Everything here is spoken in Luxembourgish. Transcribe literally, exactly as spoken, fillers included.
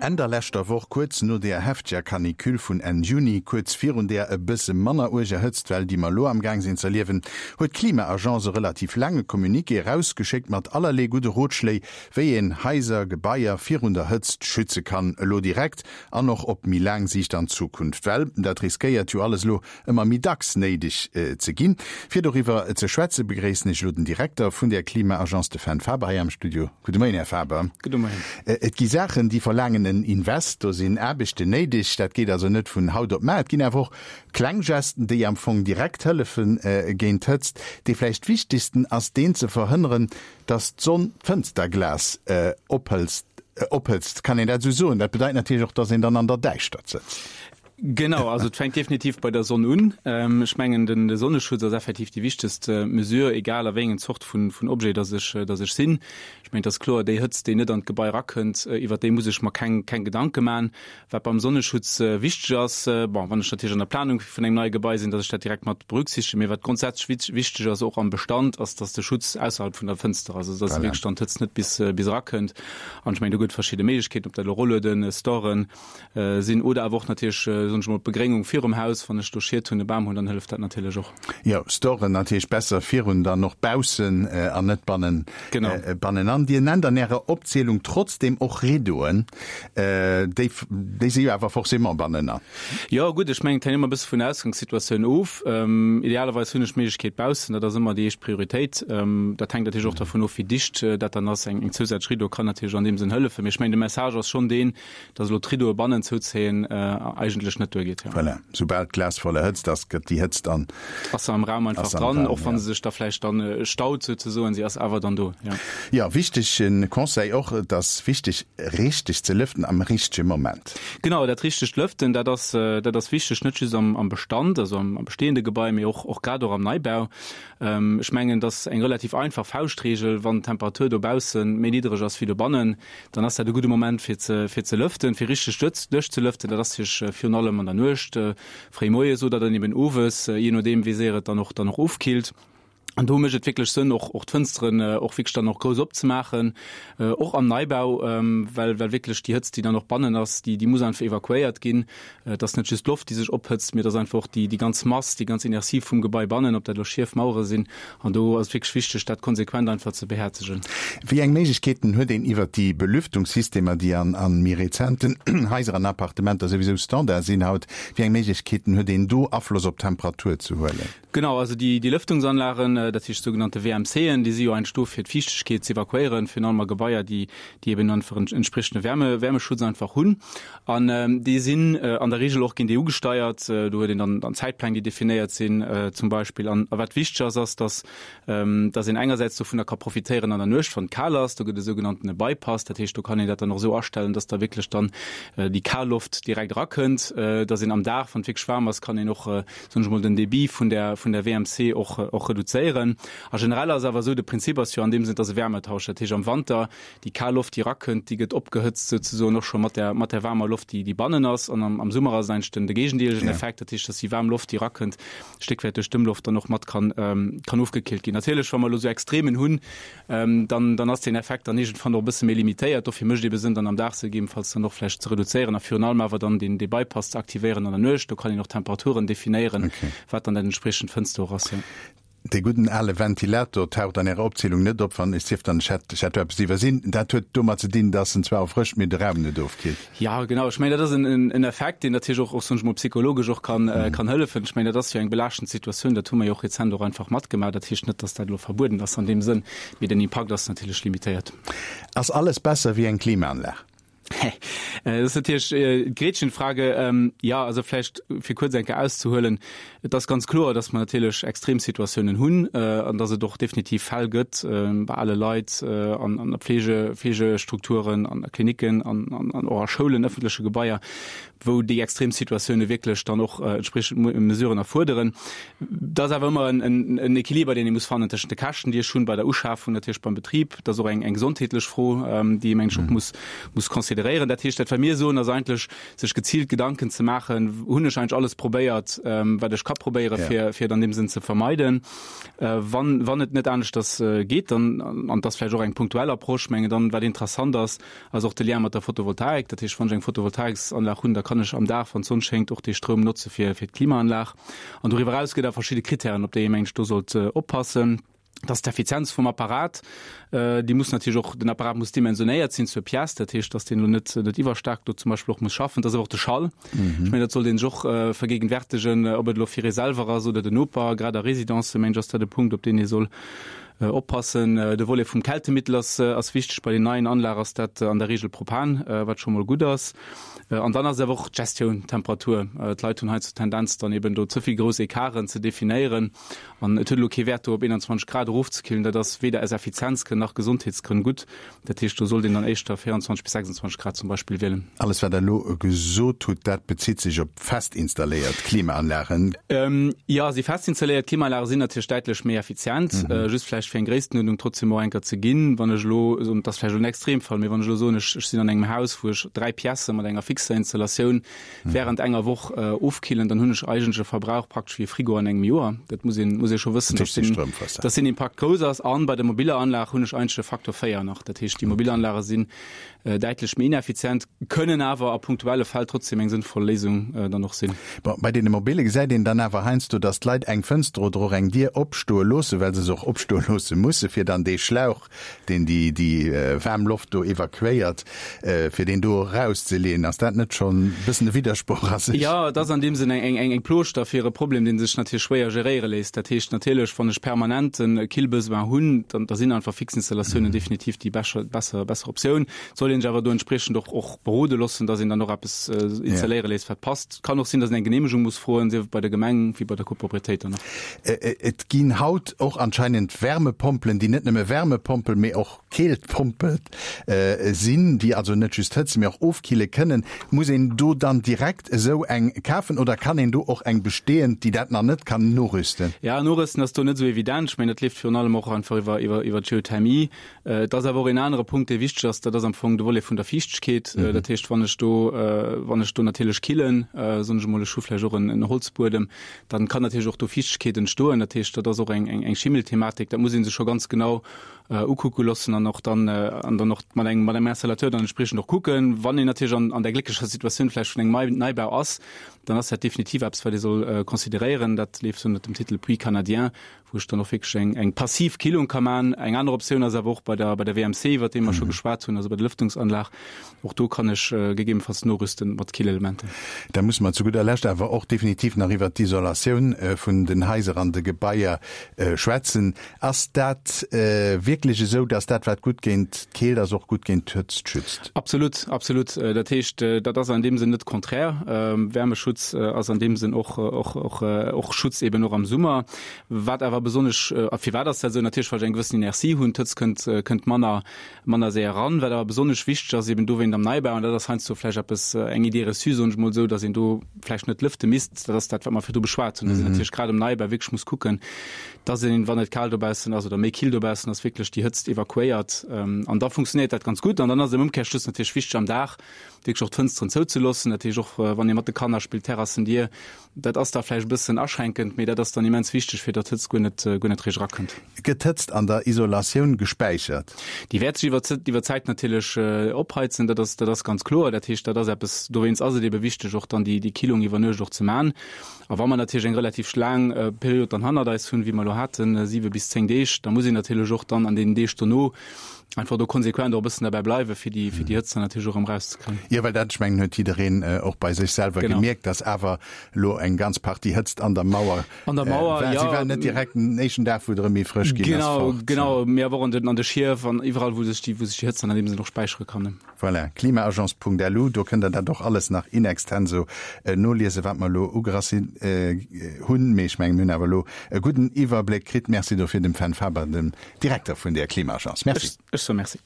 Enn der leschter Woch, kuerz no der hefteger Canicule vun Enn Juni, kuerz virun der e bësse manner uerger Hëtztwell, déi mer elo am Gaang sinn z'erliewen, huet d'Klima-Agence e relativ laange Communiqué erausgeschéckt mat allerlee gudde Rotschléi, wéi een Haiser, Gebaier virun der Hëtzt schütze kann, elo direkt an och op méi laang Siicht an Zukunft. Well dat riskéiert jo alles elo ëmmer méi dacks néideg ze ginn. Fir doriwwer ze schwätze begréissen ech elo den Direkter vun der Klima-Agence, de Fenn Faber, hei am Studio. Gudde Moien, Här Faber. Gudde Moien. Et gi Saachen, déi verlaangen en Invest, do sinn Aarbechten néideg, dat geet also net vun haut op mar. Et ginn awer och kleng Gesten, déi am Fong direkt hëllefe géint d'Hëtzt. Dee vläicht wichtegsten ass deen, ze verhënneren, datt d'Sonn d'Fënsterglas ophëtzt. Kann een dat esou soen? Dat bedeit natierlech och, datt een dann an der Däischtert sëtzt. Genau, also et fänkt definitiv bei der Sonn un. Ech mengen, den de Sonneschutz ass effektiv déi wichtegst Mesure, egal a wéi engen Zort vun vun Objet dass ech dass ech sinn. Ech mengen, et ass kloer, déi Hëtzt, déi net an d'Gebai erakënnt, iwwert déi muss ech mer keng keng Gedanke man. Wat beim Sonneschutz wichteg ass, bon, wann ech natierlech an der Planung vun engem neie Gebai sinn, dass ech dat direkt mat berücksichtegen, mee wat grondsätzlech wichteg ass, och am Bestand, ass, dass de Schutz ausserhalb vun der Fënster ass, also dass wierklech dann d'Hëtzt net bis bis erakënnt. An ech mengen, do gëtt et verschidde Méiglechkeeten, ob dat elo Rollueden, Storen sinn oder awer och natierlech, soen ech mol, d'Begréngung virum Haus. Wann ech do Schied hunn, e Bam hunn, dann hëlleft dat natierlech och. Jo, Storen natierlech besser virun, dann och baussen an net bannen, bannenan. Dir nennt an Ärer Opzielung trotzdeem och Rideauen. Déi, déi si jo awer forcément bannenan. Jo, gutt, ech mengen, et hänkt ëmmer e bësse vun der Ausgangssituatioun of. Idealerweis hunn ech d'Méiglechkeet baussen, dat ass ëmmer déi éischt Prioritéit. Dat hänkt natierlech och dervun of, wéi dicht dat dann ass. Eng zousätzlech Rideau kann natierlech an deem Sënn hëllefen. Mee ech mengen, de Message ass schonn deen, dass elo d'Rideaue bannen zouzéien eigentlech net duergeet. Ja. Voilà. Soubal d'Glas voller Hëtzt ass, gëtt déi Hëtzt an. Ass se am Raum einfach dran, och wa se sech da vläicht dann staut souzesoen, si ass awer dann do. Ja, ja, wichtege Conseil och, et ass wichteg, richteg ze lëften am richtege Moment. Genau, dat richtegt Lëften, dat ass, dat ass wichteg, net just am, am Bestand, also am, am bestehende Gebai, mee och, och grad och am Neibau. Ech mengen, et ass eng relativ einfach Fauschtregel, Wann d'Temperatur dobausse méi niddreg ass wéi dobannen, dann ass dat e gudde Moment fir ze, fir ze lëften, fir richteg duerchzelëften. Dat ass natierlech virun allem an der Nuecht, fréi moies oder dann eben owes, jee nodeem wéi séier et dann och, dann och ofkillt. An do mécht et wierklech Sënn, och, och d'Fënsteren och wierklech dann och grouss opzemaachen, och am Neibau, well, well wierklech déi Hëtzt, déi dann och bannen ass, déi, déi muss einfach evakuéiert ginn. Et ass net just d'Loft, déi sech ophëtzt, mee et ass einfach och déi, déi ganz Mass, déi ganz Inertie vum Gebai bannen, ob dat elo Schief, Mauere sinn. An do ass et wierklech wichteg, dat konsequent einfach ze behäerzegen. Wéi eng Méiglechkeeten huet een iwwert déi Belüftungssystemer, déi an a méi rezenten Haiser an Appartementer souwisou Standard sinn haut, wéi eng Méiglechkeeten huet een do Afloss op d'Temperatur ze huelen? Genau, also déi déi Lëftungsanlagen, dat heescht sougenannte W M Cen, déi si jo eigentlech do fir d'Fiichtegkeet ze evakuéieren, virun allem a Gebaier, déi déi eben einfach en entspriechende Wärme Wärmeschutz einfach hunn. An déi sinn an der Regel och, ginn déi ugesteiert, do huet een dann dann Zäitpläng, déi definéiert sinn zum Beispill. An a wat wichteg ass, ass, dass dass een engersäits dovunner ka profitéieren an der Nuecht, wann et kal ass, do gëtt e sougenanntene Bypass, dat heescht, do kann een dat dann och esou astellen, dass da wierklech dann déi kal Loft direkt erakënnt, dass een am Dag, wann et wierklech waarm ass, kann een och, soen ech mol, den Débit vun der vun der W M C och och reduzéieren. A generell ass awer esou, de Prinzip ass jo an deem Sënn, dass e Wärmetausch, dat heescht am Wanter déi kal Loft, déi erakënnt, déi gëtt opgehëtzt souzesoen och scho mat der mat der waarmer Loft, déi déi bannen ass. An am am Summer ass et eigentlech den de géigendeelegen Effekt, dat heescht, dass déi waarm Loft, déi erakënnt, Stéck wäit duerch d'Ëmloft dann och mat kann kann ofgekillt ginn. Natierlech, wa mer elo esou Extremen hunn, dann dann ass deen Effekt dann iergendwann och e bësse méi limitéiert. Dofir mécht et ebe Sënn, dann am Dag se gegebenfalls dann och vläicht ze reduzéieren a virun allem awer dann deen dee Bypass ze aktivéieren an der Nuecht. Do kann een och Temperaturen definéieren, wat dann dat entspriechend Fënster och ass, jo. Dee gudden ale Ventilator taucht an Ärer Opzielung net op, wann ech sief dann, ech hätt, ech hätt do eppes iwwersinn. Dat huet domat ze dinn, dass en zwar erfrëscht, mee de Raum net ofkillt. Jo, genau. Ech mengen, dat ass en, en Effekt, deen natierlech och, och soen ech mol, psychologesch och kann, kann hëllefen. Ech mengen, dat ass jo eng belaaschtend Situatioun, dat hu mer jo och rezent och einfach matgemaach. Dat heescht net, dass dat elo verbueden ass an deem Sënn, mee den Impakt ass natierlech limitéiert. Ass alles besser wéi eng Klimaanlag? Dat ass natierlech d'Gretchenfrage. Jo, also vläicht fir kuerz eng Kéier auszehuelen, Et ass ganz kloer, dass mer natierlech Extremsituatiounen hunn an dass et och definitiv Fäll gëtt bei ale Leit an an Pflege, Pflegestrukturen, an Klinicken an an och a Schoulen, ëffentleche Gebaier, wou déi Extremsituatioune wierklech dann och entspriechend Mesuren erfuerderen. Dat ass awer ëmmer en en Equiliber, deen ee muss fannen tëschent de Käschten, déi ech hunn bei der Uschafung, natierlech beim Betrib. Dat ass och eng eng gesondheetlech Fro, déi ee mengen ech och muss muss consideréieren. geréieren. Dat heescht, dat wat mir soen, ass eigentlech, sech geziilt Gedanken ze maachen, hunn ech eigentlech alles probéiert, wat ech ka probéieren, fir, fir et an deem Sënn ze vermeiden. Wann, wann et net aneschters geet, dann, an et ass vläicht och eng punktuell Approche, mengen dann, wat interessant ass, ass och de Lien mat der Photovoltaik. Dat heescht, wann ech eng Photovoltaiksanlag hunn, da kann ech am Dag, wann d'Sonn schéngt, och dee Stroum notze fir, fir d'Klimaanlag. An doriwwer eraus gëtt et verschidde Krittären, op déi ee mengen ech do sollt oppassen. Dat ass d'Effizienz vum Apparat. Déi muss natierlech och, den Apparat muss dimensionéiert sinn zur Pièce, dat heescht, dass deen elo net, net iwwerstaark do zum Beispill och muss schaffen. Dat ass awer och de Schall. Ech mengen, dat sollt ee sech och vergegenwärtigen, ob et elo fir ee selwer ass oder den Noper. Grad a Residencë mengen ech ass dat e Punkt, op deen ee soll oppassen. De Volet vum Kältemittel ass, ass wichteg. Bei den neien Anlage ass dat an der Regel Propan, wat scho mol gutt ass. An dann ass awer och d'Gestioun, d'Temperatur. D'Leit hunn heiansdo d'Tendenz, dann eben do ze vill grouss Ecarten ze definéieren. An et huet elo kee Wäert, do op eenanzwanzeg Grad erofzekillen. Dat ass weder aus Effizienzgrënn nach Gesondheetsgrënn gutt. Dat heescht, do sollt een dann éischter véierundzwanzeg bis sechsundzwanzeg Grad zum Beispill wielen. Alles, wat Der elo gesot hutt, dat bezitt sech op fest installéiert Klimaanlagen? Jo, si fest installéiert Klimaanlage sinn natierlech däitlech méi effizient. Just vläicht fir eng Gréisstenuerdnung trotzdem och eng Kéier ze ginn, Wann ech elo soen, dat ass vläicht elo en Extremfall, mee wann ech elo soen, ech sinn an engem Haus, wou ech dräi Piècë mat enger fixer Installatioun während enger Woch ofkillen, dann hunn ech eigentlech e Verbrauch praktesch wéi e Frigo an engem Joer. Dat muss een, muss ee scho wëssen, dass deen, dass deen Impakt grouss ass. An bei der mobiller Anlag hunn ech eigentlech e Faktor véier nach. Dat heescht, déi mobil Anlage sinn däitlech méi ineffizient, kënnen awer a punktuelle Fäll trotzdem eng sënnvoll Léisung dann och sinn. Bon, bei deene mobile gesäit een dann awer heiansdo, dass d'Leit eng Fënster oder och eng Dier opstoe loossen, well se se och opstoe loosse musse fir dann dee Schlauch, deen déi, déi waarm Loft do evakuéiert, fir deen do erauszeleeën. Ass dat net schonn e bëssen e Widdersproch a sech? Jo, et ass an deem Sënn eng, eng, eng Plooschter fir e Problem, dee sech natierlech schwéier geréiere léisst. Dat heescht natierlech, wann ech permanent e Killbesoin hunn, dann, da sinn einfach Fixinstallatiounen definitiv déi bescher, besser, besser Optioun. Et soll een sech awer do entspriechend och, och berode loossen, dass een dann och eppes installéiere léisst, wat passt. Et kann och sinn, dass een eng Geneemegung muss froen, sief et bei der Gemeng wéi bei der Copropriétéit dann och. Et ginn haut och anscheinend Wärmepompelen, déi net nëmme Wärmepompel, mee och Keeltpompel sinn, déi also net just hëtzen, mee och ofkille kënnen. Muss een do dann direkt esou eng kafen oder kann een do och eng bestehend, déi dat nach net kann, norüsten? Ja, norüsten ass do net esou evident. Ech mengen, dat leeft virun allem och einfach iwwer, iwwer, iwwer d'Geothermie. Et ass awer och een anere Punkt, dee wichteg ass, dat ass am Fong de Volet vun der Fiichtegkeet. Dat heescht, wann ech do, wann ech do natierlech killen, soen ech emol, ech hu vläicht och en, en Holzbuedem, dann kann natierlech och do Fiichtegkeet entstoen. Dat heescht, dat ass och eng, eng, eng Schimmelthematik. Dat muss ee sech scho ganz genau ukucke loossen an och dann, an dann och mat engem, mat engem Installateur dann entspriechend och kucken. Wann een natierlech an, an där glécklecher Situatioun vläicht vun engem Neibau ass, dann ass dat definitiv eppes, wat ee soll consideréieren. Dat leeft ënnert dem Titel Puits canadien, wou ech dann och wierklech eng, eng passiv Killung ka man. Eng aner Optioun ass awer och bei der, bei der W M C, iwwert déi mer scho geschwat hunn, also bei der Lëftungsanlag. Och do kann ech gegebenenfalls norüsten mat Killelementen. Da musse mer zu gudder Lescht awer och definitiv nach iwwert d'Isolatioun vun den Haiser an de Gebaier schwätzen. Ass dat wierklech esou, dass dat, wat gutt géint d'Keelt ass, och gutt géint d'Hëtzt schützt? Absolut, absolut. Dat heescht, dat ass an deem Sënn net konträr. Wärmeschutz ass an deem Sënn och, och, och, och Schutz eben och am Summer. Wat awer besonnesch, a firwat ass dat esou? Natierlech, well ech eng gewëssen Inertie hunn, d'Hëtzt kënnt, kënnt manner, manner séier eran. Wat awer besonnesch wichteg ass eben dowéint am Neibau, an dat ass heiansdo vläicht eppes, eng Idée reçue, soen ech emol esou, datt een do vläicht net lëfte misst, dat ass dat, wat mer virdu beschwat hunn, datt een natierlech grad am Neibau wierklech muss kucken, datt een, wann et kal dobaussen ass oder méi kill dobaussen ass, wierklech déi Hëtzt evakuéiert. An da funktionéiert dat ganz gutt. An dann ass et am Ëmkehrschluss natierlech wichteg, am Dag wierklech och d'Fënsteren zouzeloossen. Dat heescht och, wann ee mat de Kanner spillt, Terrassendier, dat ass da vläicht e bëssen aschränkend, mee dat ass dann immens wichteg, fir datt d'Hëtzt guer net, guer net richteg erakënnt. Gëtt d'Hëtzt an der Isolatioun gespäichert? Déi wäert sech iwwer iwwer d'Zäit natierlech opheizen, dat ass, dat ass ganz kloer. Dat heescht, dat ass eppes, dowéinst ass et ebe wichteg, och dann déi, déi Killung iwwer Nuecht och ze man. A wa mer natierlech eng relativ laang Period dann hannert eis hunn, wéi mer elo haten, siwe bis zéng Deeg, da muss een natierlech och dann an deenen Deeg dono einfach do konsequent och e bëssen derbäi bleiwen, fir déi, fir déi Hëtzt dann natierlech och erëm erauszekréien. Jo, well dat, ech mengen, huet jiddereen och bei sech selwer gemierkt, dass awer elo eng ganz Partie Hëtzt an der Mauer an der Mauer war. Si war net direkt den éischten Dag, wou et erëm méi frësch ginn ass, fort. Genau, genau, mee awer och an den, an de Schief an iwwerall, wou sech déi, wou sech déi Hëtzt dann an deem Sënn och späichere kann. Voilà, klimaagence Punkt L U, do kënnt Der dat och alles nach in extenso noliesen, wat mer elo ugerassi hunn. Mee ech mengen, mir hunn awer elo e gudden Iwwerbléck kritt. Merci dofir dem Fenn Faber, dem Direkter vun där Klimaagence. Merci. Ech soe Merci.